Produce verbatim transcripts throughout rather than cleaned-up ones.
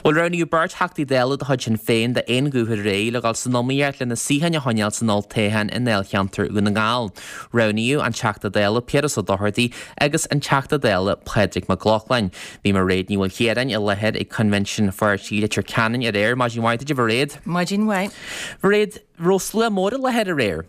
Bhuel, roghnaíodh beirt Theachtaí Dála de chuid Shinn Féin d'aon ghuth aréir le dhul san iomaíocht lena suíocháin a choinneáil san olltoghchán i ndáilcheantar Dhún na nGall. Roghnaíodh an Teachta Dála Piaras Ó Dochartaigh agus an Teachta Dála Pádraig Mac Lochlainn. Bhí Mairéad Ní Mhaoilchiaráin i láthair ag Coinbhinsiún an Pháirtí i Leitir Ceanainn aréir. Maidin mhaith duit, a Mhairéad. Maidin mhaith. Mhairéad, raibh slua mór i láthair aréir?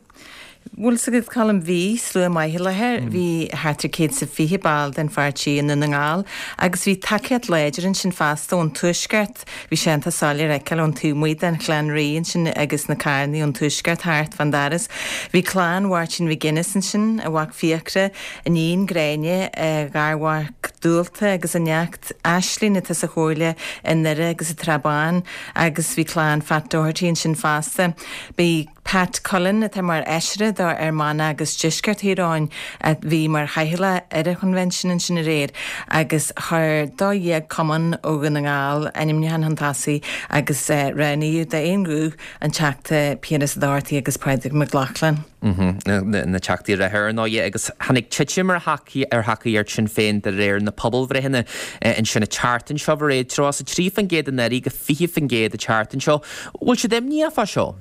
Bhuel, 's agat, Colm, bhí slua maith i láthair. Bhí thart ar céad is a fiche ball den pháirtí i nDún na nGall agus bhí tacaíocht láidir ansin fosta ón Tuaisceart. Bhí sé iontach soiléir a fheiceáil ón taobh amuigh den Chlann Rí ansin agus na carrannaí ón Tuaisceart thart fán doras. Bhí clann Mháirtín McGuinness ansin, a mhac Fiachra, a iníon Gráinne, a gharmhac Dualta agus a neacht Aislinn atá sa Chomhairle i nDoire agus sa tSrath Bán agus bhí clann Phat Doherty ansin fosta. Bhí Pat Cullen, atá mar fheisire do Fhear Manach agus Deisceart Thír Eoghain, a bhí mar chathaoirleach ar an choinbhinsiún ansin aréir agus chuir dó dhéag cumann ó Dhún na nGall ainmniúchán chun tosaigh agus roghnaíodh d'aon ghuth an Teachta Piaras Ó Dochartaigh agus Pádraig Mac Lochlainn. Na Teachtaí reatha ar ndóigh agus tháinig titim ar thacaíocht Sinn Féin de réir na pobalbhreitheanna ansin an tseachtain seo, a Mhairéad, tríocha a trí faoin gcéad anuraidh go fiche faoin gcéad an tseachtain seo. Bhfuil siad imníoch fá seo?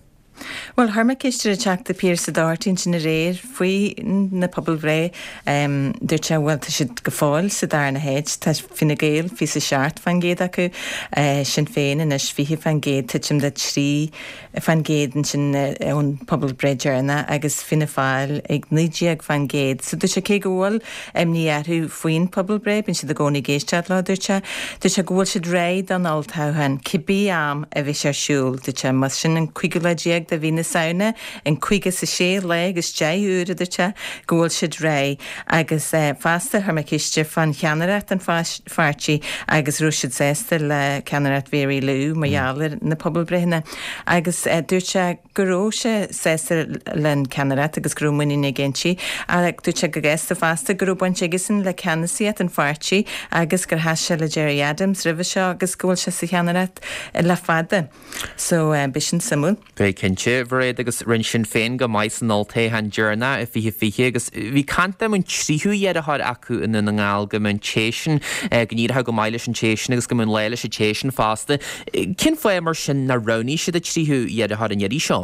Bhuel, chuir mé ceist ar an Teachta Piaras Ó Dochartaigh ansin aréir faoi na pobalbhreith. Dúirt sé, bhuel, tá siad go fóill sa darna háit, tá Fine Gael fiche is a seacht fán gcéad acu, Sinn Féin anois fiche fán gcéad, titim de trí fán gcéad ansin ón pobalbhreith deireanach agus Fianna Fáil ag naoi déag fán gcéad. So dúirt sé cé go bhfuil imní orthu faoin pobalbhreith, bíonn siad i gcónaí ag éisteacht leo, dúirt sé. Dúirt sé go bhfuil siad réidh don olltoghchán, cibé am a bheidh sé ar siúl, dúirt sé, más sin an cúigiú lá déag de mhí na Samhna, an caoga is a sé lá agus deich uair, a dúirt sé, go bhfuil siad réidh. Agus fosta, chuir mé ceist air fán cheannaireacht an pháirtí agus raibh siad sásta le ceannaireacht Mhary Lou mar gheall ar na pobalbhreitheanna agus dúirt sé go raibh sé sásta len ceannaireacht agus go raibh muinín aige inti ach dúirt sé go gasta fosta go raibh baint aigesan le ceannasaíocht an pháirtí agus gur sheas sé le Gerry Adams roimhe seo agus go bhfuil sé sa cheannaireacht le fada. So beidh sin suimiúil. Beidh cinnte, a Mhairéad, agus rinne Sinn Féin go maith san olltoghchán deireanach i fiche fiche agus bhí caint dá mbeadh an tríú iarrthóir acu i nDún na nGall go mbeadh an té sin, go n-éireodh go maith leis an té sin agus go mbeadh an lá leis an té sin fosta. Cén fáth mar sin nár roghnaigh siad an tríú iarrthóir an iarraidh seo?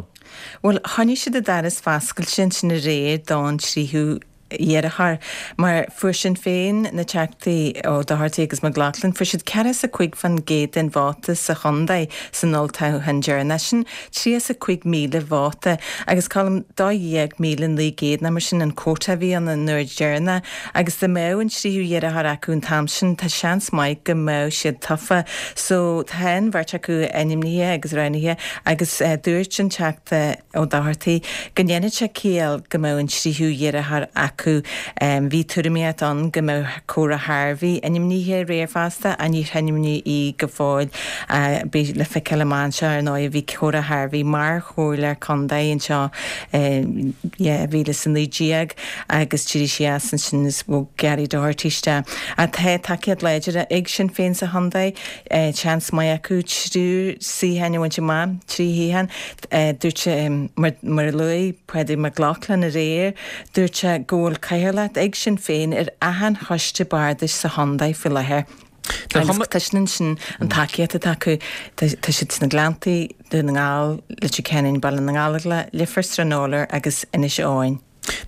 Bhuel, choinnigh siad an doras foscailte ansin aréir don tríú iarrthóir, mar fuair Sinn Féin na Teachtaí Ó Dochartaigh agus Mac Lochlainn, fuair siad ceathracha is a cúig fán gcéad den vóta sa chontae san olltoghchán deireanach, sin tríocha is a cúig míle vóta, agus Colm, dó dhéag míle naoi gcéad nó mar sin an quota a bhí ann an uair deireanach, agus dá mbeadh an tríú iarrthóir acu an t-am sin, tá seans maith go mbeadh siad tofa. So, tá an bheirt acu ainmnithe agus roghnaithe agus dúirt an Teachta Ó Dochartaigh go ndéanfadh sé ciall go mbeadh an tríú iarrthóir acu. Bhí tuairimíocht ann go mbeadh Cora Harvey ainmnithe aréir fosta ach níor ainmníodh í go fóill. Beidh le feiceáil amach anseo ar ndóigh. Bhí Cora Harvey mar chomhairleoir contae anseo i dhá mhíle is a naoi déag agus d'éirigh sí as ansin is bhog Gary Doherty isteach. Ach tá tacaíocht láidir ag Sinn Féin sa chontae. Seans maith acu triúr suíocháin a bhaint amach, trí shuíochán. Dúirt sé, mar a luaigh Pádraig Mac Lochlainn aréir, dúirt sé go bhfuil cathaoirleacht ag Sinn Féin ar achan choiste bardais sa chontae faoi láthair. Agus tá sin ansin an tacaíocht atá acu. Tá siad sna Gleanntaí, Dún na nGall, Leitir Ceanainn, Baile na nGallóglach, Leifear, Srath an Fhólair agus Inis Eoghain.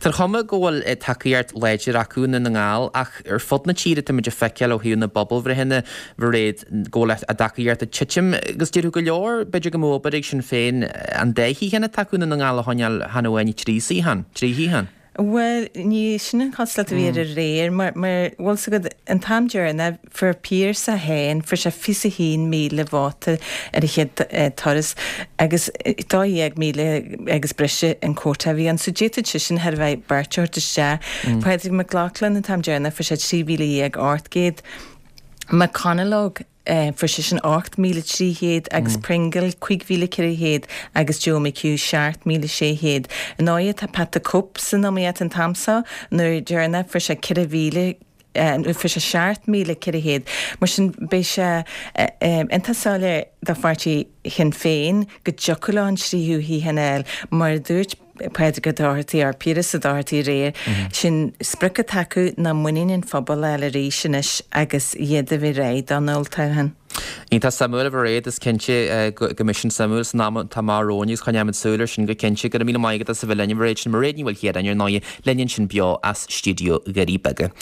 Tá an chuma go bhfuil tacaíocht láidir acu i nDún na nGall ach ar fud na tíre tá muid ag feiceáil ó thaobh na bpobalbhreitheanna, Mhairéad, go bhfuil a dtacaíocht ag titim agus déarfadh go leor, b'fhéidir go mbeadh obair ag Sinn Féin an dá shuíochán atá acu i nDún na nGall a choinneáil chan amháin trí shuíochán, trí shuíochán. Bhuel, ní sin an chosúlacht a bhí air aréir mar, mar, bhfuil 's agat, an t-am deireanach, Fuair Pearse féin, fuair sé fiche is a haon míle vóta ar a chéad turas agus dó dhéag míle agus breise an quota a bhí ann. So d'fhéadfadh seisean thar a bheith beirt a thabhairt isteach. Pádraig Mac Lochlainn an t-am deireanach fuair sé trí mhíle dhéag ocht gcéad. McConalogue fuair seisean ocht míle trí chéad agus Pringle cúig mhíle ceithre chéad agus Joe McHugh seacht míle sé chéad. Ar ndóigh tá Pat the Cope san iomaíocht an t-am seo, an uair deireanach fuair sé ceithre mhíle fuair sé seacht míle ceithre chéad. Mar sin, beidh sé iontach soiléir do pháirtí Shinn Féin go dtiocfadh leo an tríú shuíochán a fháil. Mar a dúirt Pádraig Ó Dochartaigh or Piaras Ó Dochartaigh aréir, sin sprioc atá acu ná muinín an phobail a fháil arís anois agus iad a bheith réidh don olltoghchán. Iontach suimiúil a Mhairéad, is cinnte go mbeidh sin suimiúil san am atá amach romhainn agus coinneoimid súil air sin go cinnte. Go raibh míle maith agat as a bheith linn a Mhairéad. Sin Mairéad Ní Mhaoilchiaráin ar ndóigh linn ansin beo as stiúideo Dhoirí Beaga.